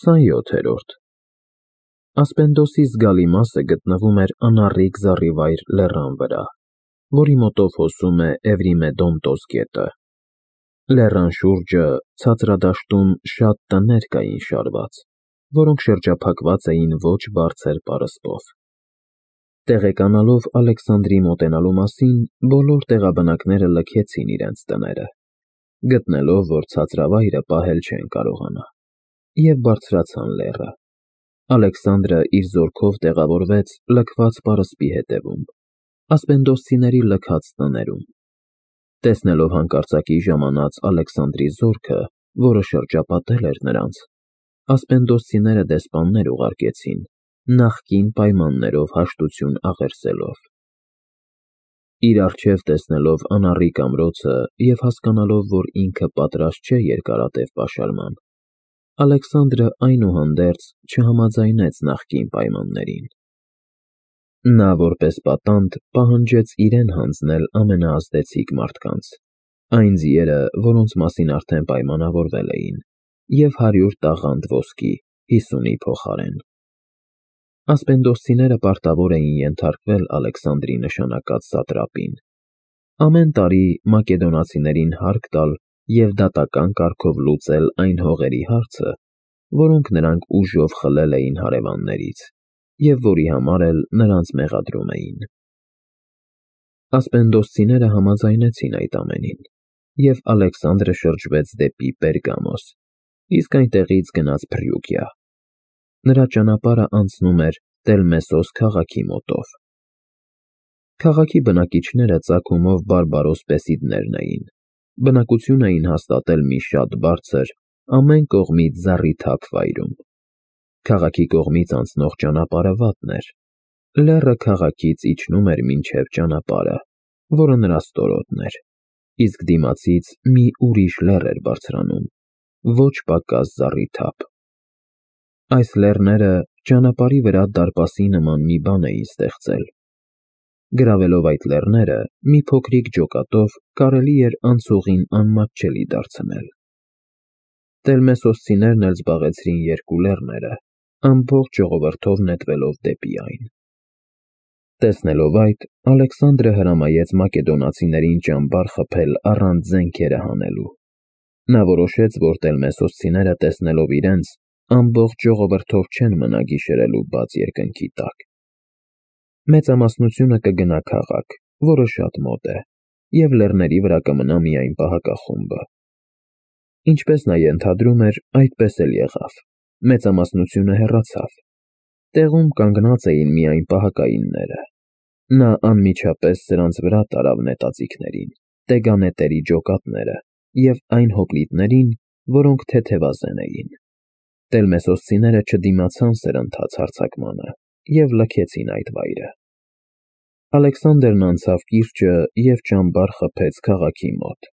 27-րդ Ասպենդոսի զգալի մասը գտնվում էր անառիկ զառիվայր լեռան վրա, որի մոտով հոսում է Էվրիմեդոնտոս գետը։ Լեռան շուրջը ցածրադաշտում շատ տներ կային շարված, որոնք շրջափակված էին ոչ բարձր պարսպով։ Տեղեկանալով Ալեքսանդրի մոտենալու մասին, բոլոր տեղաբնակները լքեցին իրենց տները, գտնելով, որ ցածրավայրը պահել չեն կարողանա, և բարձրացան լեռը։ Ալեքսանդրը իր զորքով տեղավորվեց լքված պարսպի հետևում, ասպենդոսցիների լքած տներում։ Տեսնելով հանկարծակի ժամանած Ալեքսանդրի զորքը, որը շրջապատել էր նրանց, ասպենդոսցիները դեսպաններ ուղարկեցին, նախկին պայմաններով հաշտություն աղերսելով։ Իր առջև տեսնելով անառիկ ամրոցը և հասկանալով, որ ինքը պատրաստ չէ երկարատև պաշարման, Ալեքսանդրը այնուհանդերձ չհամաձայնեց նախկին պայմաններին։ Նա որպես պատանդ պահանջեց իրեն հանձնել ամենաազդեցիկ մարդկանց, այն ձիերը, որոնց մասին արդեն պայմանավորվել էին, և 100 տաղանդ ոսկի 50-ի փոխարեն։ Ասպենդոսցիները պարտավոր էին ենթարկվել Ալեքսանդրի նշանակած սատրապին, ամեն տարի մակեդոնացիներին հարկ տալ և դատական կարգով լուծել այն հողերի հարցը, որոնք նրանք ուժով խլել էին հարևաններից, և որի համար էլ նրանց մեղադրում էին։ Ասպենդոսցիները համաձայնեցին այդ ամենին, և Ալեքսանդրը շրջվեց դեպի Պերգամոս, իսկ այնտեղից գնաց Փրիուգիա։ Նրա ճանապարհը անցնում էր Տելմեսոս քաղաքի մոտով։ Քաղաքի բնակիչները ծագումով բարբարոս Պեսիդներն էին, բնակություն էին հաստատել մի շատ բարձր, ամեն կողմից զառիթափ վայրում։ Քաղաքի կողմից անցնող ճանապարհը վատն էր, լեռը քաղաքից իջնում էր մինչև ճանապարհը, որը նրա ստորոտն էր, իսկ դիմացից մի ուրիշ լեռ էր բարձրանում, ոչ պակաս զառիթափ։ Այս լեռները ճանապարհի վրա դարպասի նման մի բան էին ստեղծել։ Գրավելով այդ լեռները, մի փոքրիկ ջոկատով կարելի էր անցուղին անմատչելի դարձնել։ Տելմեսոսցիներն էլ զբաղեցրին երկու լեռները, ամբողջ ժողովրդով նետվելով դեպի այն։ Տեսնելով այդ, Ալեքսանդրը հրամայեց մակեդոնացիներին ճամբար խփել առանց զենքերը հանելու։ Նա որոշեց, որ տելմեսոսցիները տեսնելով իրենց, ամբողջ ժողովրդով չեն մնա գիշերելու բաց երկնքի տակ։ Մեծամասնությունը կգնա քաղաք, որը շատ մոտ է, և լեռների վրա կմնա միայն պահակախումբը։ Ինչպես նա ենթադրում էր, այդպես էլ եղավ, մեծամասնությունը հեռացավ։ Տեղում կանգնած էին միայն պահակայինները։ Նա անմիջապես սրանց վրա տարավ նետաձիգներին, տեգանետերի ջոկատները և այն հոպլիտներին, որոնք թեթևազեն էին։ Տելմեսոսցիները չդիմացան սրընթաց հարձակմանը և լքեցին այդ վայրը։ Ալեքսանդրն անցավ կիրճը և ճամբար խփեց քաղաքի մոտ։